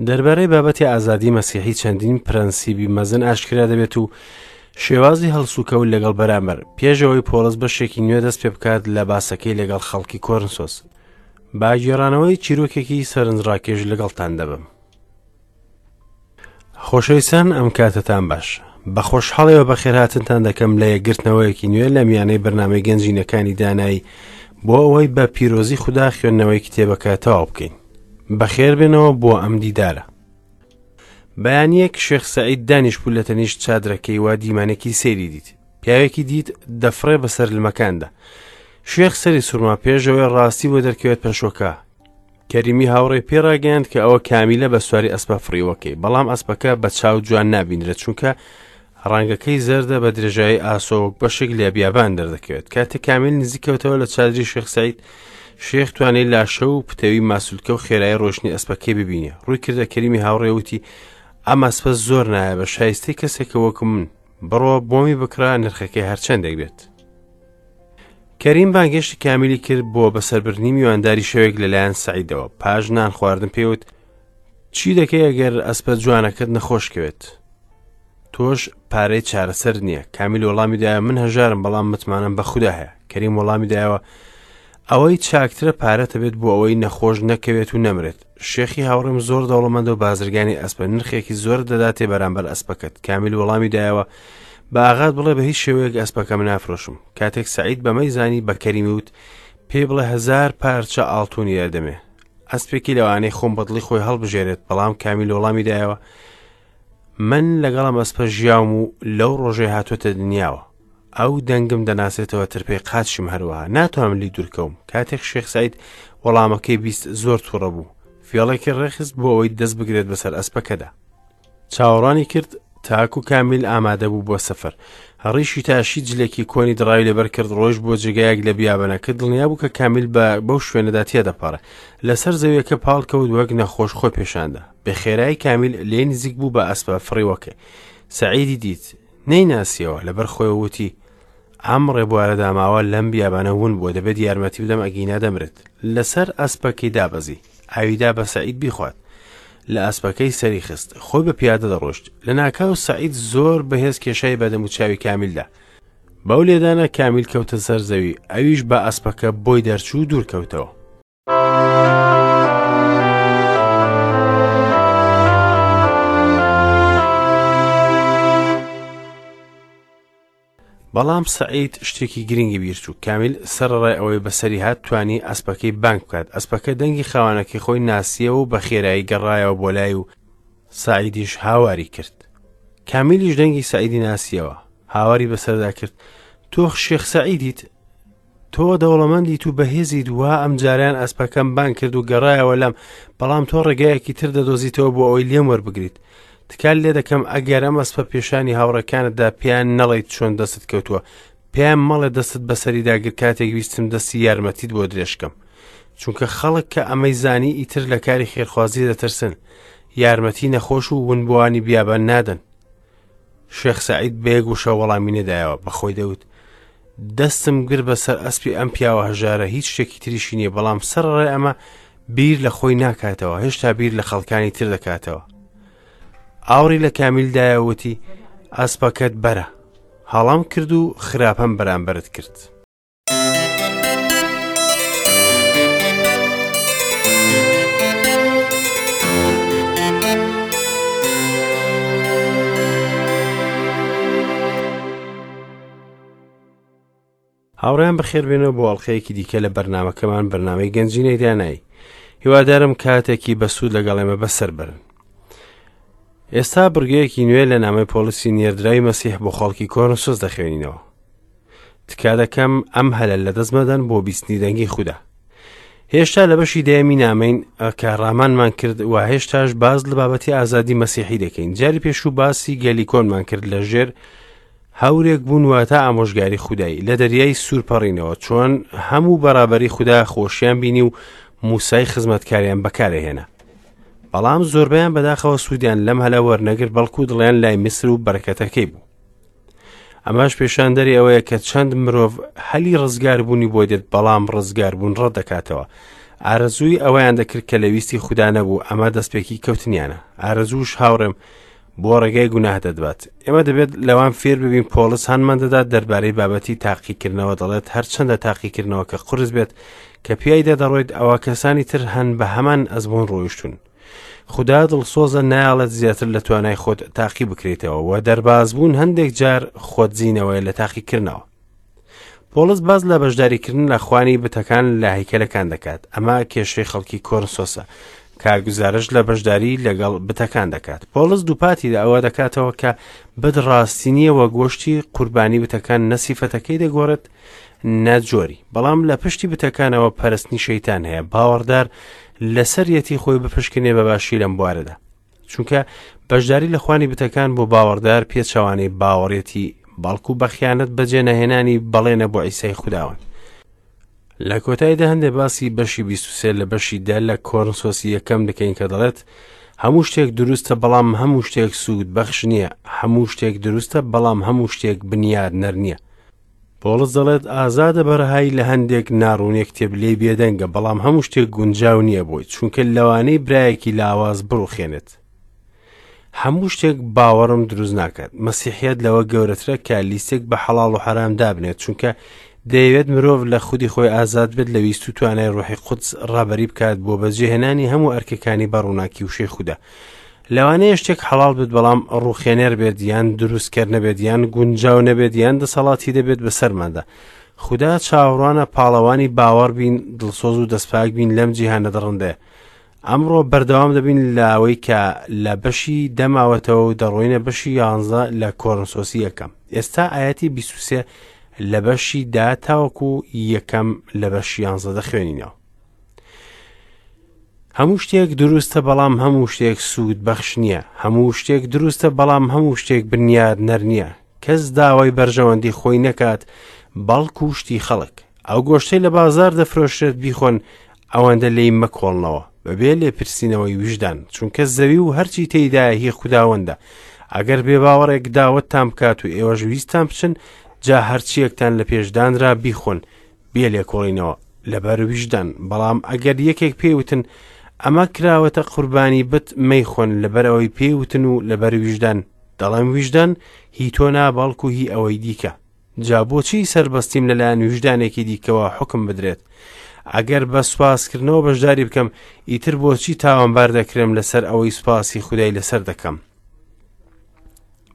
دەربارەی بابەتی ئازادی مەسیحی چەندین پرەنسیبی مەزن ئاشکرا دەبێت و شێوازی هەڵسوکەوت لەگەڵ بەرامبەر پێش ئەوەی پۆڵس بەشێکی نوێ دەست پێ بکات لە باسەکەی لەگەڵ خەڵکی کۆرنسۆس با گێڕانەوەی چیرۆکێکی سەرنجڕاکێش لەگەڵتان دەبم. خۆشەویستان ئەم کاتەتان باش بە خۆشحاڵیەوە بەخێرهاتنتان دەکەم لە یەکگرتنەوەیەکی نوێ لە میانەی بەرنامەی گەنجینەکانی دانایی بۆ ئەوەی بە پیرۆزی خودا خوێندنەوەی کتێبەکە تەواو بکەین بەخێربێنەوە بۆ ئەم دیدارە بەیانیەک شێخ سەعید دانیشبوو لە تەنیشت چادرەکەی وا دیمانێکی سەیری دیت پیاوێکی دیت دەفڕێ بەسەر لمەکاندا شێخ سەری سوورما پێشەوەی ڕاستی بۆ دەرکەوێت پەشۆکا کەریمی هاوڕێ پێ ڕاگەیاند کە ئەوە کامیلە بە سواری ئەسپە فڕیوەکەی بەڵام ئەسپەکە بە چاو جوان نابینرێت چونکە ڕەنگەکەی زەردە بە درێژایی ئاسۆ وەک بەشێک لە بیابان دەردەکەوێت کاتێک کامیل نزیکەوتەوە لە چادری شێخ سعید شێخ توانێت لاشە و پتەوی ماسولکە و خێرای ڕۆشنی ئەسپەکەی ببینێ ڕووی کردە کەریمی هاوڕێ وتی ئەم ئەسپە زۆر نایە بە شایستەی کەسێکە وەکو من بڕۆ بۆمی بکڕە نرخەکەی هەرچەندێک بێت کەریم بانگێشتی کامیلی کرد بۆ بەسەربردنی میوانداری شەوێک لەلایەن سەعیدەوە پاش نان خواردن پێوت چی دەکەی ئەگەر ئەسپە جوانەکەت نەخۆش کەوێت تۆش پارەی چارەسەر نییە کامیل وەڵامی دایە من هەژارم بەڵام متمانەم بە خودا هەیە کەریم وەڵامی دایەوە ئەوەی چاکترە پارەتە بێت بۆ ئەوەی نەخۆش نەکەوێت و نەمرێت شێخی هاوڕێم زۆر دەوڵەمەندە و بازرگانی ئەسپە نرخێکی زۆر دەداتێ بەرامبەر ئەسپەکەت کامیل وەڵامی دایەوە بە ئاغات بڵێ بە هیچ شێوەیەک ئەسپەکەم نافرۆشم کاتێک سعید بەمەی زانی بە کەریمی وت پێی بڵێ هەزار پارچە ئاڵتونی دەدەمێ ئەسپێکی لەوانەی خۆم بەدڵی خۆی هەڵبژێرێت بەڵام کامیل وەڵامی دایەوە من لەگەڵم ئەسپە ژیاوم و لەو ڕۆژەی هاتووەتە دنیاوە ئەو دەنگم دەناسێتەوە ترپەی قاچشم هەروەها ناتوانم لی دوورکەوم کاتێک شێخ سعید وەڵامەکەی 20 زۆر تووڕە بوو فێڵێکی ڕێخست بۆ ئەوەی دەست بگرێت بەسەر ئەسپەکەدا چاوەڕوانی کرد تاکو کامیل ئامادە بوو بۆ سەفەر ڕیشی تاشی جلێکی کۆنی دڕاوی لەبەر کرد ڕۆیشت بۆ جێگایەک لە بیابانەکە دڵنیا بوو کە کامیل بە بەو شوێنەدا تێدەپەڕێ لەسەر زەویەکە پاڵ کەوت وەک نەخۆش خۆی پێشاندا بە خێرایی کامیل لێ نزیک بوو بە ئەسپە فڕیوەکەی سەعیدی دیت نەیناسیەوە لەبەر خۆی وتی ئەم ڕێبوارە داماوە لەم بیابانە ون بووە دەبێت یارمەتی بدەم ئەگینا دەمرێت لەسەر ئەسپەکەی دابەزی ئاویدا بە سەعید بیخوات لە ئەسپەکەی سەری خست خۆی بە پیادە دەڕۆشت لە ناکاو سەعید زۆر بەهێز کێشای بەدەم و چاوی کامیلدا بەو لێدانە کامیل کەوتە سەر زەوی ئەویش بە ئەسپەکە بۆی دەرچوو دوور کەوتەوە بەڵام سەعید شتێکی گرنگی بیرچوو کامیل سەرەڕای ئەوەی بەسەری هات توانی ئەسپەکەی بانگ بکات ئەسپەکە دەنگی خاوەنەکەی خۆی ناسیەوە و بە خێرایی گەڕایەوە بۆ لای و سەعیدیش هاواری کرد کامیلیش دەنگی سەعیدی ناسیەوە هاواری بەسەردا کرد تۆ شێخ سەعیدیت تۆ دەوڵەمەندیت و بەهێزیت وا ئەمجارەیان ئەسپەکەم بانگ کرد و گەڕایەوە لام بەڵام تۆ ڕێگایەکی تر دەدۆزیتەوە بۆ ئەوەی لێم وەربگریت تکات لێ دەکەم ئەگەر ئەم ئەسپە پێشانی هاوڕێکانتدا پێیان نەڵێیت چۆن دەستت کەوتووە پێیان مەڵێ دەستت بەسەریدا گرت کاتێک ویستم دەستی یارمەتیت بۆ درێژکەم چونکە خەڵک کە ئەمەی زانی ئیتر لە کاری خێرخوازی دەترسن یارمەتی نەخۆش و ونبووانی بیابان نادەن شێخ سەعید بە یەک وشە وەڵامی نەدایەوە بە خۆی دەوت دەستم گر بەسەر ئەسپی ئەم پیاوە هەژارە هیچ شتێکی تریشی نییە بەڵام سەرڕای ئەمە بیر لە خۆی ناکاتەوە هێشتا بیر لە خەڵکانی تر دەکاتەوە ئاوڕی لە کامیل دایە وتی ئەسپەکەت بەرە هەڵام کرد و خراپەم بەرامبەرت کرد. هاوڕێیان بەخێربێنەوە بۆ ئەڵلقەیەکی دیکە لە بەرنمەکەمان بەرنمەی گەنجینەی دانایی هیوادارم کاتێکی بەسوود لەگەڵ ئێمە بەسەر بەرن ئێستا بڕگەیەکی نوێ لە نامەی پۆلیسی نێردراوی مەسیح بۆ خەڵکی کۆرنسۆس دەخوێنینەوە تکا دەکەم ئەم هەلە لەدەست مەدەن بۆ بیستنی دەنگی خودا هێشتا لە بەشی دەیەمی نامەین کە ڕامانمان کرد و هێشتاش باز لە بابەتی ئازادی مەسیحی دەکەین جاری پێشوو باسی گەلی کۆنمان کرد لە ژێر هەورێک بوون واتە ئامۆژگاری خودایی لە دەریای سوور پەڕینەوە چۆن هەموو بەرابەری خودا خۆشیان بینی و موسای خزمەتکاریان بەکارهێنا بەڵام زۆربەیان بەداخەوە سوودیان لەم هەلە وەرنەگرت بەڵکو دڵیان لای میسر و بەرەکەتەکەی بوو ئەمەش پێشاندەری ئەوەیە کە چەند مرۆڤ هەلی ڕزگاربوونی بۆ دێت بەڵام ڕزگاربوون ڕەت دەکاتەوە. ئارەزووی ئەوەیان دەکرد کە لە ویستی خودا نەبوو، ئەمە دەستپێکی کەوتنیانە. ئارەزووش هاوڕێم بۆ ڕێگای گوناه دەدبات. ئێمە دەبێت لەوان فێر ببین پۆڵس هانمان دەدات دەربارەی بابەتی تاقیکردنەوە دەڵێت هەرچەندە تاقیکردنەوەکە قورس بێت کە پیایدا دەڕۆیت ئەوە کەسانی تر هەن بە هەمان ئەزموون ڕۆیشتون. خودا دڵسۆزە نایەڵێت زیاتر لە توانای خۆت تاقی بکرێتەوە و دەربازبوون هەندێک جار خۆدزینەوەیە لە تاقیکردنەوە. پۆڵس باس لە بەشداریکردن لە خوانی بتەکان لە هەیکەلەکان دەکات ئەمە کێشەی خەڵکی کۆرنسۆسە کە گوزارشت لە بەشداری لەگەڵ بتەکان دەکات پۆڵس دووپاتی لە ئەوە دەکاتەوە کە بت ڕاستی نییە وە گۆشتی قوربانی بتەکان نە سیفەتەکەی دەگۆڕێت نە جۆری بەڵام لە پشتی بتەکانەوە پەرستنی شەیتان هەیە باوەڕدار لەسەریەتی خۆی بپشکنێ بە باشی لەم بوارەدا چونکە بەشداری لە خوانی بتەکان بۆ باوەڕدار پێچەوانەی باوەڕێتی بەڵکو بە خیانەت بەجێ نەهێنانی بەڵێنە بۆ عیسای خوداوەند. لە کۆتاییدا هەندێک باسی بەشی 23 لە بەشی دە لە کۆرنسۆسی یەکەم دەکەین کە دەڵێت هەموو شتێک دروستە بەڵام هەموو شتێک سوود بەخش نییە هەموو شتێک دروستە بەڵام هەموو شتێک بنیاد نەر نییە پۆڵس دەڵێت ئازادە بەرەهایی لە هەندێک ناڕوونی کتێب لێی بێدەنگە بەڵام هەموو شتێک گونجاو نییە بۆی چونکە لەوانەی برایەکی لاواز بڕوخێنێت هەموو شتێک باوەڕم دروست ناکات مەسیحیت لەوە گەورەترە کە لیستێک بە حەڵاڵ و حەرام دابنێت چونکە دەیەوێت مرۆڤ لە خودی خۆی ئازاد بێت لە ویست و توانای ڕۆحی قودس ڕابەری بکات بۆ بەجێهێنانی هەموو ئەرکەکانی بە ڕووناکی وشەی خودا لەوانەیە شتێک حەڵاڵ بێت بەڵام ڕوخێنەر بێت یان دروستکەر نەبێت یان گونجاو نەبێت یان دەسەڵاتی دەبێت بەسەرماندا خودا چاوەڕوانە پاڵەوانی باوەڕ بین دڵسۆز و دەستپاک بین لەم جیهانە دڕندەیە ئەمڕۆ بەردەوام دەبین لەوەی کە لە بەشی دەماوەتەوە و دەڕۆینە بەشی یانزە لە کۆرنسۆسی یەکەم ئێستا ئاەتی 23 لە بەشی دا تاوەکو یەکەم لە بەشی یانزە دەخوێنینەوە هەموو شتێک دروستە بەڵام هەموو شتێک سوود بەخش نییە هەموو شتێک دروستە بەڵام هەموو شتێک بنیاد نەر نییە کەس داوای بەرژەوەندی خۆی نەکات بەڵکو شتی خەڵک ئەو گۆشتەی لە بازار دەفرۆشرێت بیخۆن ئەوەندە لێی مەکۆڵنەوە بەبێ لێپرسینەوەی ویژدان چونکە زەوی و هەرچی تێیدایە هی خوداوەندە ئەگەر بێباوەڕێک داوەتتان بکات و ئێوەش ویستان بچن جا هەرچیەکتان لە پێشدانرا بیخۆن بێ لێکۆڵینەوە لەبەر ویژدان بەڵام ئەگەر یەکێک پێی وتن ئەمە کراوەتە قوربانی بت مەیخۆن لەبەر ئەوەی پێی وتن و لەبەر ویژدان دەڵێم ویژدان هی تۆ نا بەڵکو هی ئەوەی دیکە جا بۆچی سەربەستیم لەلایەن ویژدانێکی دیکەوە حکم بدرێت ئەگەر بە سوپاسکردنەوە بەشداری بکەم ئیتر بۆچی تاوانبار دەکرێم لەسەر ئەوەی سوپاسی خودای لەسەر دەکەم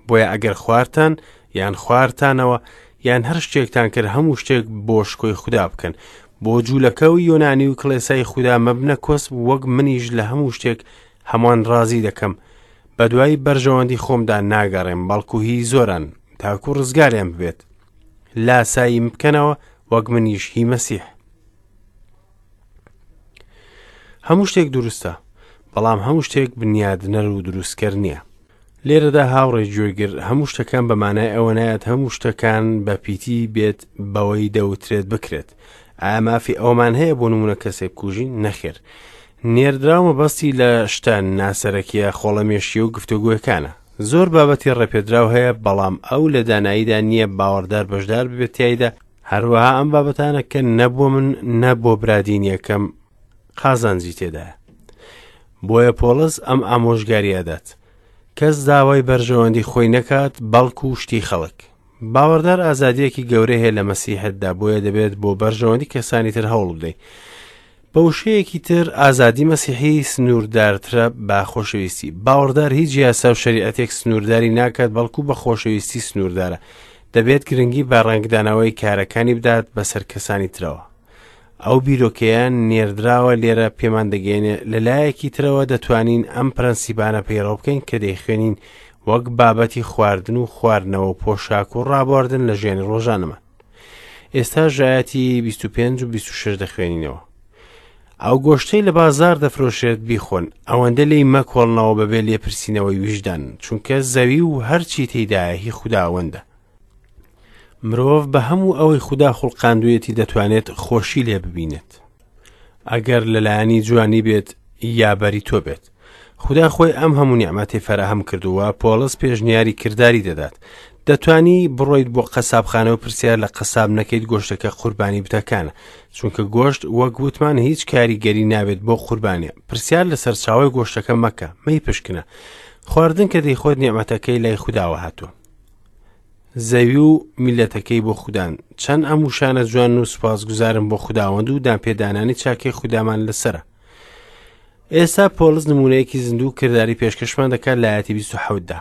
بۆیە ئەگەر خوارتان یان خوارتانەوە یان هەر شتێکتان کرد هەموو شتێک بۆ شکۆی خودا بکەن بۆ جوولەکە و یۆنانی و کڵێسای خودا مەبنە کۆسپ وەک منیش لە هەموو شتێک هەمووان ڕازی دەکەم بە دوای بەرژەوەندی خۆمدا ناگەڕێم بەڵکو هی زۆران تاکو ڕزگاریان ببێت لاساییم بکەنەوە وەک منیش هی مەسیح هەموو شتێک دروستە بەڵام هەموو شتێک بنیادنەر و دروستکەر نییە لێرەدا هاوڕێ گوێگر هەموو شتەکان بە مانای ئەوە نایەت هەموو شتەکان بە پیتی بێت بەوەی دەوترێت بکرێت ئایا مافی ئەومان هەیە بۆ نمونە کەسێک بکوژین نەخێر نێردراو مەبەستی لە شتە ناسەرەکیە خۆڵەمێشی و گفتوگۆیەکانە زۆر بابەتی ڕێپێدراو هەیە بەڵام ئەو لە داناییدا نییە باوەڕدار بەشدار ببێت تیایدا هەروەها ئەم بابەتانە کە نە بۆ من نە بۆ برادینیەکەم قازانجی تێدایە بۆیە پۆڵس ئەم ئامۆژگاری ئەدات کەس داوای بەرژەوەندی خۆی نەکات بەڵکو شتی خەڵک باوەڕدار ئازادیەکی گەورە هەیە لە مەسیحتدا بۆیە دەبێت بۆ بەرژەوەندی کەسانی تر هەوڵ بدەیت بە وشەیەکی تر ئازادی مەسیحی سنووردارترە بە خۆشەویستی باوەڕدار هیچ یاسا و شەریعەتێک سنوورداری ناکات بەڵکو بە خۆشەویستی سنووردارە دەبێت گرنگی بە ڕەنگدانەوەی کارەکانی بدات بەسەر کەسانی ترەوە ئەو بیرۆکەیە نێردراوە لێرە پێمان دەگەێنێ لە لایەکی ترەوە دەتوانین ئەم پرەنسیپانە پەیڕەو بکەین کە دەیخوێنین وەک بابەتی خواردن و خواردنەوە و پۆشاک و ڕابواردن لە ژیانی ڕۆژانەمان ئێستا ژایەتی 25 و 26 دەخوێنینەوە ئەو گۆشتەی لە بازار دەفرۆشێت بیخۆن ئەوەندە لێی مەکۆڵنەوە بەبێ لێپرسینەوەی ویژدان چونکە زەوی و هەرچی تێیدایە هی خوداوەندە مرۆڤ بە هەموو ئەوەی خودا خوڵقاندوویەتی دەتوانێت خۆشی لێ ببینێت ئەگەر لەلایەنی جوانی بێت یا بەری تۆ بێت خودا خۆی ئەم هەموو نیعمەتی فەراهەم کردووە پۆڵس پێشنیاری کرداری دەدات دەتوانی بڕۆیت بۆ قەسابخانە و پرسیار لە قەساب نەکەیت گۆشتەکە قوربانی بتەکانە، چونکە گۆشت وەک وتمان هیچ کاریگەری نابێت بۆ قوربانیە. پرسیار لە سەرچاوەی گۆشتەکە مەکە، مەیپشکنە. خواردن کە دەیخۆت نیعمەتەکەی لای خوداوە هاتووە. زەوی و میلەتەکەی بۆ خودان. چەند ئەم وشانە جوان و سوپاسگوزارم بۆ خوداوەند و دانپێدانانی چاکەی خودامان لەسەرە. ئێستا پۆڵس نمونەیەکی زیندوو و کرداری پێشکەشمان دەکات لە ئایەتی 27 دا.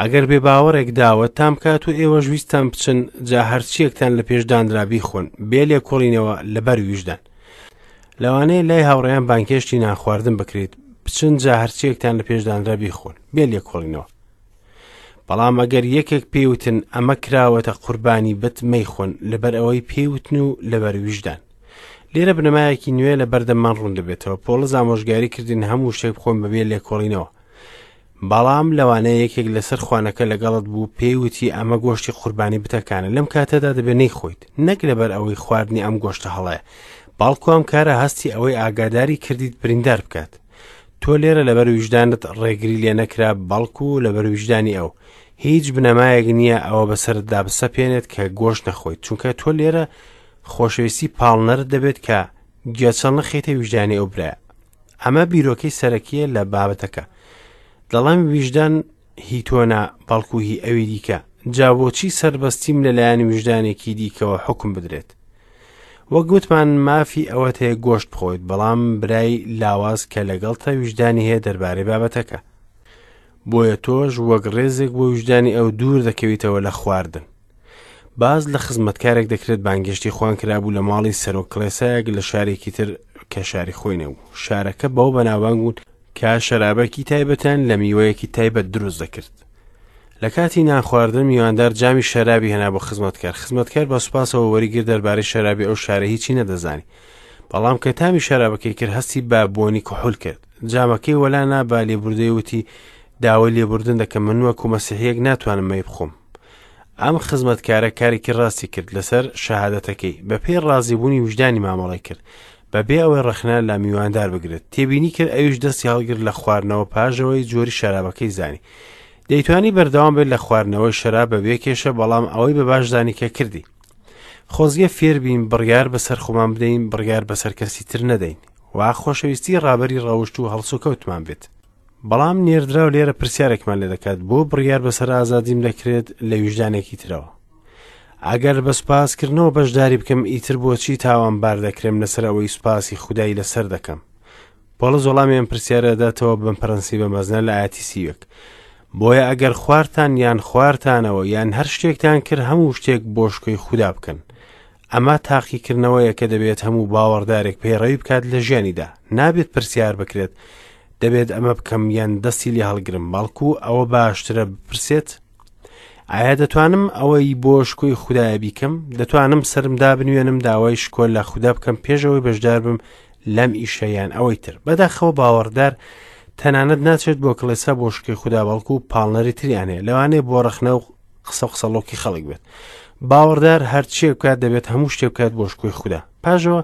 ئەگەر بێ باوەڕێک داوەتتان بکات و ئێوەش ویستتان بچن، جا هەرچیەکتان لە پێش دانرا بیخۆن، بێ لێکۆڵینەوە لەبەر ویژدان. لەوانەیە لای هاوڕێیان بانگهێشتی نانخواردن بکرێت، بچن جا هەرچیەکتان لە پێش دانرا بیخۆن، بێ لێکۆڵینەوە. بەڵام ئەگەر یەکێک پێیوتن ئەمە کراوەتە قوربانی بت مەیخۆن، لەبەر ئەوەی پێیوتن و لەبەر ویژدان. لێرە بنەمایەکی نوێ لە بەردەممان ڕوون دەبێتەوە. پۆڵس ئامۆژگاری کردین هەموو شتێک بخۆن بەبێ لێکۆڵینەوە. بەڵام لەوانەیە یەکێک لەسەر خوانەکە لەگەڵت بوو پێی وتی ئەمە گۆشتی قوربانی بتەکانە، لەم کاتەدا دەبێت نەیخۆیت، نەک لەبەر ئەوەی خواردنی ئەم گۆشتە هەڵەیە، بەڵکو ئەم کارە هەستی ئەوەی ئاگاداری کردیت بریندار بکات. تۆ لێرە لەبەر ویژدانت ڕێگری لێ نەکرا، بەڵکو لەبەر ویژدانی ئەو. هیچ بنەمایەک نییە ئەوە بەسەرتدا بسەپێنێت کە گۆشت نەخۆیت، چونکە تۆ لێرە خۆشەویستی پاڵنەرت دەبێت کە گێچەڵ نەخەیتە ویژدانی ئەو برایە. ئەمە بیرۆکەی سەرەکیە لە بابەتەکە. دەڵێم ویژدان هی تۆ نا، بەڵکو هی ئەوی دیکە. جا بۆچی سەربەستیم لەلایەن ویژدانێکی دیکەوە حوکم بدرێت؟ وەک گوتمان مافی ئەوەت هەیە گۆشت بخۆیت، بەڵام برای لاواز کە لەگەڵتە ویژدانی هەیە دەربارەی بابەتەکە. بۆیە تۆش وەک ڕێزێک بۆ ویژدانی ئەو دوور دەکەویتەوە لە خواردن. باس لە خزمەتکارێک دەکرێت بانگێشتی خوان کرابوو لە ماڵی سەرۆک کڵێسایەک لە شارێکی تر کە شاری خۆی نەبوو. شارەکە بەوە بەناوبانگ بوون کە شەرابێکی تایبەتیان لە میوەیەکی تایبەت دروست دەکرد. لە کاتی نانخواردن میواندار جامی شەرابی هێنا بۆ خزمەتکار. خزمەتکار بە سوپاسەوە وەریگرت دەربارەی شەرابی ئەو شارە هیچی نەدەزانی. بەڵام کە تامی شەرابەکەی کرد هەستی بە بۆنی کحول کرد. جامەکەی وەلا نا بە لێبوردەی وتی داوای لێبوردن دەکەم من وەکو مەسیحیەک ناتوانم مەی بخۆم. ئەم خزمەتکارە کارێکی ڕاستی کرد لەسەر شەهادەتەکەی، بەپێی ڕازیبوونی ویژدانی مامەڵەی کرد، بەبێ ئەوەی ڕەخنە لە میواندار بگرێت. تێبینی کرد ئەویش دەستی هەڵگرت لە خواردنەوە پاش ئەوەی جۆری شەرابەکەی زانی. دەیتوانی بەردەوام بێت لە خواردنەوەی شەراب بەبێ کێشە، بەڵام ئەوەی بە باش زانی کە کردی. خۆزگە فێربین بڕیار بەسەر خۆمان بدەین، بڕیار بەسەر کەسی تر نەدەین. وا خۆشەویستی ڕابەری ڕەوشت و هەڵسوکەوتمان بێت. بەڵام نێردراو لێرە پرسیارێکمان لێ دەکات بۆ بڕیار بەسەر ئازادیم دەکرێت لە ویژدانێکی ترەوە ئەگەر بە سوپاسکردنەوە بەشداری بکەم ئیتر بۆچی تاوانبار دەکرێم لەسەر ئەوەی سوپاسی خودای لەسەر دەکەم پۆڵس وەڵامی ئەم پرسیارە دەداتەوە بەم پرەنسیبە مەزنە لە ئاەتی سیوێک بۆیە ئەگەر خوارتان یان خوارتانەوە یان هەر شتێکتان کرد هەموو شتێک بۆ شکۆی خودا بکەن ئەمە تاقیکردنەوەیە کە دەبێت هەموو باوەڕدارێک پەیڕەوی بکات لە ژیانیدا. نابێت پرسیار بکرێت دەبێت ئەمە بکەم یان دەستی لێ هەڵگرم، بەڵکو ئەوە باشترە بپرسێت ئایا دەتوانم ئەوەی بۆ شکۆی خودایە بیکەم؟ دەتوانم سەرم دابنوێنم داوای شکۆ لە خودا بکەم پێش ئەوەی بەشدار بم لەم ئیشە یان ئەوەی تر؟ بەداخەوە باوەڕدار تەنانەت ناچێت بۆ کڵێسا بۆ شکۆی خودا، بەڵکو پاڵنەری تریان هەیە، لەوانەیە بۆ ڕەخنە و قسە و قسەڵۆکی خەڵک بێت. باوەڕدار هەرچیەک بکات دەبێت هەموو شتێک بکات بۆ شکۆی خودا. پاشەوە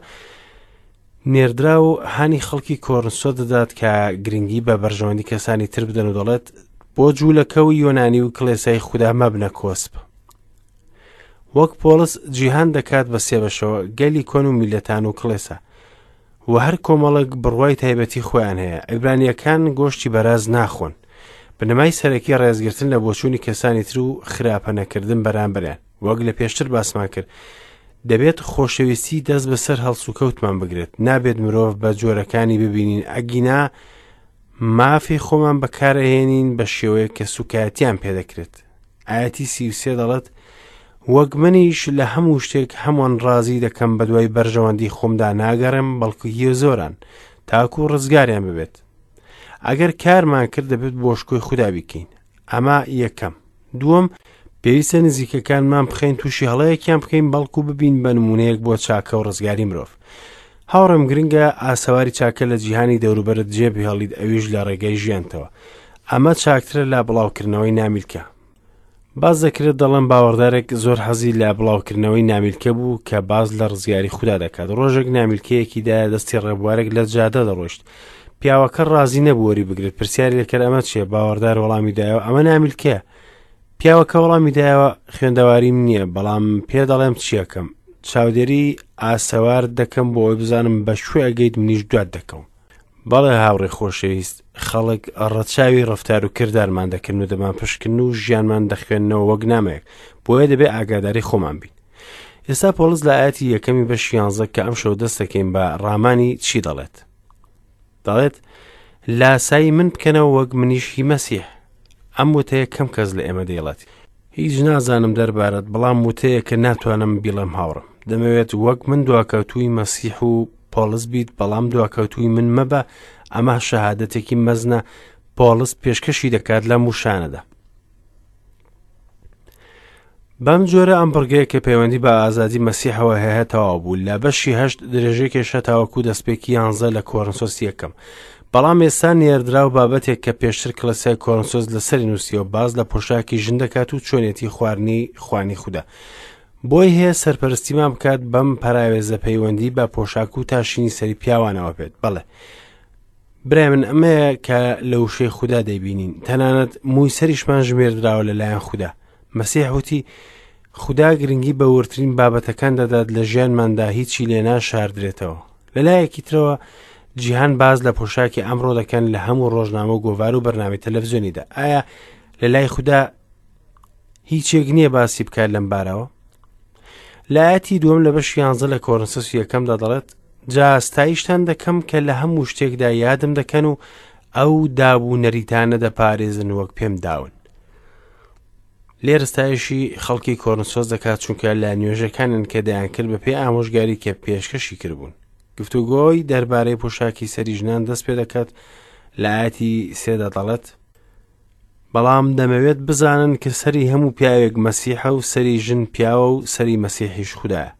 نێردراو هانی خەڵکی کۆرنسۆ دەدات کە گرنگی بە بەرژەوەندی کەسانی تر بدەن و دەڵێت بۆ جوولەکە و یۆنانی و کڵێسای خودا مەبنە کۆسپ. وەک پۆڵس جیهان دەکات بە سێ بەشەوە، گەلی کۆن و میلەتان و کڵێسا. و هەر کۆمەڵێک بڕوای تایبەتی خۆیان هەیە. عیبرانییەکان گۆشتی بەراز ناخۆن. بنەمای سەرەکی ڕێزگرتن لە بۆچوونی کەسانی تر و خراپە نەکردن بەرامبەریان. وەک لە پێشتر باسمان کرد، دەبێت خۆشەویستی دەست بەسەر هەڵسوکەوتمان بگرێت. نابێت مرۆڤ بە جۆرەکانی ببینین، ئەگینا مافی خۆمان بەکارئەهێنین بە شێوەیەک کە سوکایەتیان پێدەکرێت. ئایەتی 33 دەڵێت وەک منیش لە هەموو شتێک هەمووان ڕازی دەکەم بەدوای بەرژەوەندی خۆمدا ناگەڕێم بەڵکو هی زۆران تاکو ڕزگاریان ببێت. ئەگەر کارمان کرد دەبێت بۆ شکۆی خودا بیکەین. ئەمە یەکەم. دووەم، پێویستە نزیکەکانمان بخەین تووشی هەڵەیەکیان بکەین بەڵکو ببین بە نمونەیەک بۆ چاکە و ڕزگاری مرۆڤ. هاوڕێم گرنگە ئاسەواری چاکە لە جیهانی دەوروبەرت جێ بهێڵیت ئەویش لە ڕێگەی ژیانتەوە. ئەمە چاکترە لە بڵاوکردنەوەی نامیلکە. باس دەکرێت دەڵێن باوەڕدارێک زۆر حەزی لە بڵاوکردنەوەی نامیلکە بوو کە باس لە ڕزگاری خودا دەکات. ڕۆژێک نامیلکەیەکی دایە دەستی ڕێبوارێک لە جادە دەڕۆیشت. پیاوەکە ڕازی نەبوو وەری بگرێت. پرسیاری لێکرد ئەمە چییە؟ باوەڕدار وەڵامی دایەوە ئەمە نامیلکەیە. پیاوەکە وەڵامی دایەوە خوێندەواریم نییە بەڵام پێ دەڵێم چیەکەم چاودێری ئاسەوار دەکەم بۆ ئەوەی بزانم بە کوێ ئەگەیت منیش دوات دەکەوم بەڵێ هاوڕێ خۆشەویست خەڵک ڕەچاوی ڕفتار و کردارمان دەکەن و دەمان پشکن و ژیانمان دەخوێننەوە وەک نامەیەک بۆیە دەبێ ئاگاداری خۆمان بین ئێستا پۆڵس لە ئاەتی یەکەمی بەش یانزە کە ئەم شەو دەست دەکەین بە ڕامانی چی دەڵێت دەڵێت لاسایی من بکەنەوە وەک منیش هی مەسیح ئەم وتەیە کەم کەس لە ئێمە دەیڵێت هیچ نازانم دەربارەت بەڵام وتەیە کە ناتوانم بیڵێم هاوڕم دەمەوێت وەک من دواکەوتووی مەسیح و پۆڵس بیت بەڵام دواکەوتووی من مەبە ئەمە شەهادەتێکی مەزنە پۆڵس پێشکەشی دەکات لەم وشانەدا بەم جۆرە ئەم بڕگەیە کە پەیوەندی بە ئازادی مەسیحەوە هەیە تەواو بوو لە بەشی هەشت درێژەی کێشە تاوەکو دەستپێکی یانزە لە کۆرنسۆس یەکەم بەڵام ئێستا نێردراو بابەتێک کە پێشتر کڵێسای کۆرنسۆس لەسەری نووسیەوە باز لە پۆشاکی ژن دەکات و چۆنێتی خواردنی خوانی خودا بۆی هەیە سەرپەرستیمان بکات بەم پەراوێزە پەیوەندی بە پۆشاک و تاشینی سەری پیاوانەوە بێت بەڵێ برای من ئەمەیە کە لە وشەی خودا دەیبینین تەنانەت مووی سەریشمان ژمێردراوە لەلایەن خودا مەسیح وتی خودا گرنگی بە وردترین بابەتەکان دەدات لە ژیانماندا هیچی لێ ناشاردرێتەوە لەلایەکی ترەوە جیهان باز لە پۆشاکی ئەمڕۆ دەکەن لە هەموو ڕۆژنامە و گۆڤار و بەرنامەی تەلەڤزیۆنیدا ئایا لە لای خودا هیچێک نییە باسی بکات لەم بارەوە لایەتی دووەم لە بەش یانزە لە کۆرنسس یەکەمدا دەڵێت جا ستایشتان دەکەم کە لە هەموو شتێکدا یادم دەکەن و ئەو داب و نەریتانە دەپارێزن وەک پێم داون لێرە ستایشی خەڵکی کۆرنسۆس دەکات چونکە لە نوێژەکانن کە دەیانکرد بە پێی ئامۆژگاری کە پێشکەشی کردبوون گفتوگۆی دەربارەی پۆشاکی سەری ژنان دەست پێ دەکات لە ئاەتی سێدا دەڵێت بەڵام دەمەوێت بزانن کە سەری هەموو پیاوێک مەسیحە و سەری ژن پیاوە و سەری مەسیحیش خودایە.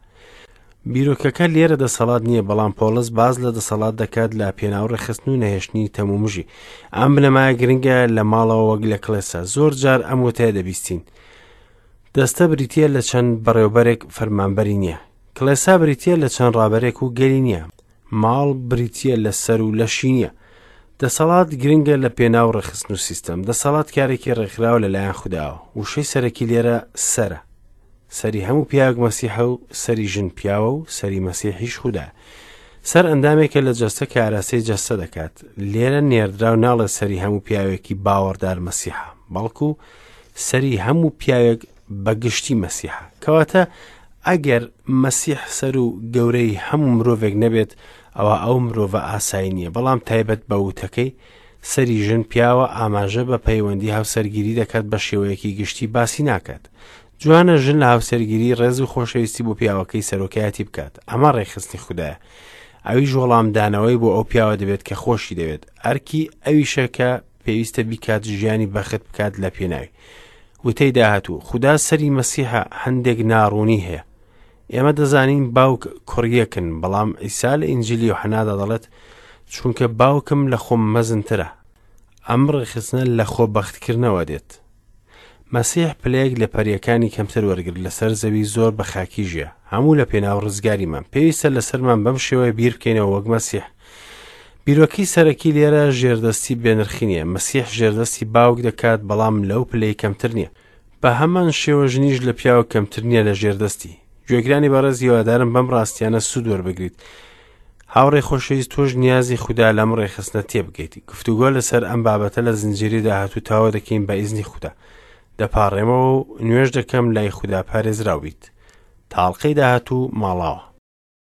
بیرۆکەکە لێرە دەسەڵات نییە بەڵام پۆڵس باز لە دەسەڵات دەکات لە پێناو ڕێکخستن و نەهێشتنی تەمومژی ئەم بنەمایە گرنگە لە ماڵەوە وەک لە کڵێسا زۆر جار ئەم وتەیە دەبیستین دەستە بریتە لە چەند بەڕێوبەرێک فەرمانبەری نییە کڵێسا بریتە لە چەند ڕابەرێک و گەلی نییە ماڵ بریتییە لە سەر و لەشی نییە. دەسەڵات گرنگە لە پێناو ڕێکخستن و سیستەم. دەسەڵات کارێکی ڕێکخراوە لەلایەن خوداوە. وشەی سەرەکی لێرە سەرە. سەری هەموو پیاوێک مەسیحە و سەری ژن پیاوە و سەری مەسیحیش خودایە. سەر ئەندامێکە لە جەستە کە ئاراستەی جەستە دەکات. لێرە نێردراو ناڵێ سەری هەموو پیاوێکی باوەڕدار مەسیحە، بەڵکو سەری هەموو پیاوێک بە گشتی مەسیحە. کەواتە ئەگەر مەسیح سەر و گەورەی هەموو مرۆڤێک نەبێت، ئەوا ئەو مرۆڤە ئاسایی نییە، بەڵام تایبەت بە وتەکەی، سەری ژن پیاوە ئاماژە بە پەیوەندی هاوسەرگیری دەکات بە شێوەیەکی گشتی باسی ناکات. جوانە ژن لە هاوسەرگیری ڕێز و خۆشەویستی بۆ پیاوەکەی سەرۆکایەتی بکات. ئەمە ڕێکخستنی خودایە. ئەویش وەڵامدانەوەی بۆ ئەو پیاوە دەبێت کە خۆشی دەوێت. ئەرکی ئەویشە کە پێویستە بیکات ژیانی بەخت بکات لە پێناوی. وتەی داهاتوو، خودا سەری مەسیحە هەندێک ناڕوونی هەیە. ئێمە دەزانین باوک کوڕیەکن، بەڵام عیسا لە ئینجیلی یۆحەنادا دەڵێت چونکە باوکم لە خۆم مەزنترە. ئەم ڕێکخستنە لە خۆبەختکردنەوە دێت. مەسیح پلەیەک لە پەریەکانی کەمتر وەرگرت لەسەر زەوی زۆر بە خاکی ژیا هەموو لە پێناو ڕزگاریمان پێویستە لەسەرمان بەم شێوەیە بیر بکەینەوە وەک مەسیح بیرۆکەی سەرەکی لێرە ژێردەستی بێنرخی نییە مەسیح ژێردەستی باوک دەکات بەڵام لەو پلەی کەمتر نییە بە هەمان شێوە ژنیش لە پیاو کەمتر نییە لە ژێردەستی گوێگرانی بەڕێز هیوادارم بەم ڕاستیانە سوود وەربگریت هاوڕێ خۆشەویست تۆش نیازی خودا لەم ڕێکخستنە تێبگەیت گفتوگۆ لەسەر ئەم بابەتە لە زنجیری داهاتوو تاوە دەکەین بە ئیزنی خودا دەپاڕێمەوە و نوێژ دەکەم لای خودا پارێزراو بیت تاڵقەی داهاتوو ماڵاوە.